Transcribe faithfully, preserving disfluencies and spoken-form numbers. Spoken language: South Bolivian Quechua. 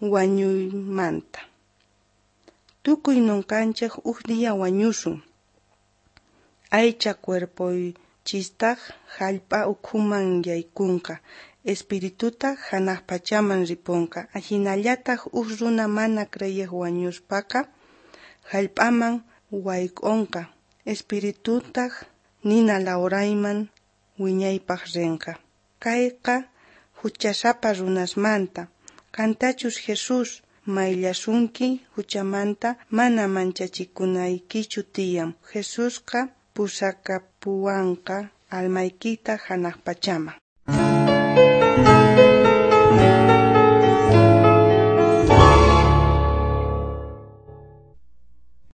Wañuymanta. Tukuy nokanchej uj día wañusun. Aycha cuerpoychistaj jallp'a ukhuman yaykunqa, espiritutaj janaj pachaman riponqa. Ajinallataj uj runa mana creej wañuspaqa, jallp'aman wayk'onqa, espiritutaj nina lawrayman wiñaypaj renqa. Kayqa juchasapa runasmanta. Qantachus Jesús mayllasunki juchamanta, mana manchachikunaykichu tiyan. Jesusqa pusakapuwanqa almaykita janaj pachaman.